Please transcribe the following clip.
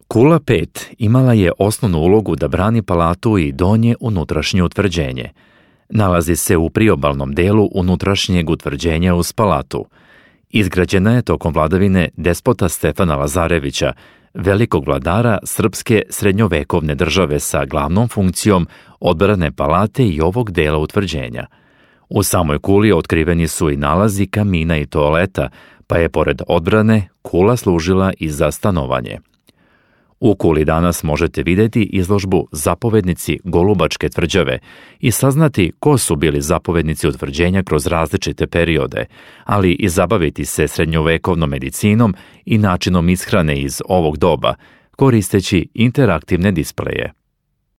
Kula 5 imala je osnovnu ulogu da brani palatu i donje unutrašnje utvrđenje. Nalazi se u priobalnom delu unutrašnjeg utvrđenja uz palatu. Izgrađena je tokom vladavine despota Stefana Lazarevića, velikog vladara srpske srednjovekovne države sa glavnom funkcijom odbrane palate i ovog dela utvrđenja. U samoj kuli otkriveni su i nalazi kamina i toaleta, pa je pored odbrane kula služila i za stanovanje. U kuli danas možete vidjeti izložbu Zapovednici Golubačke tvrđave i saznati ko su bili zapovednici utvrđenja kroz različite periode, ali i zabaviti se srednjovekovnom medicinom i načinom ishrane iz ovog doba, koristeći interaktivne displeje.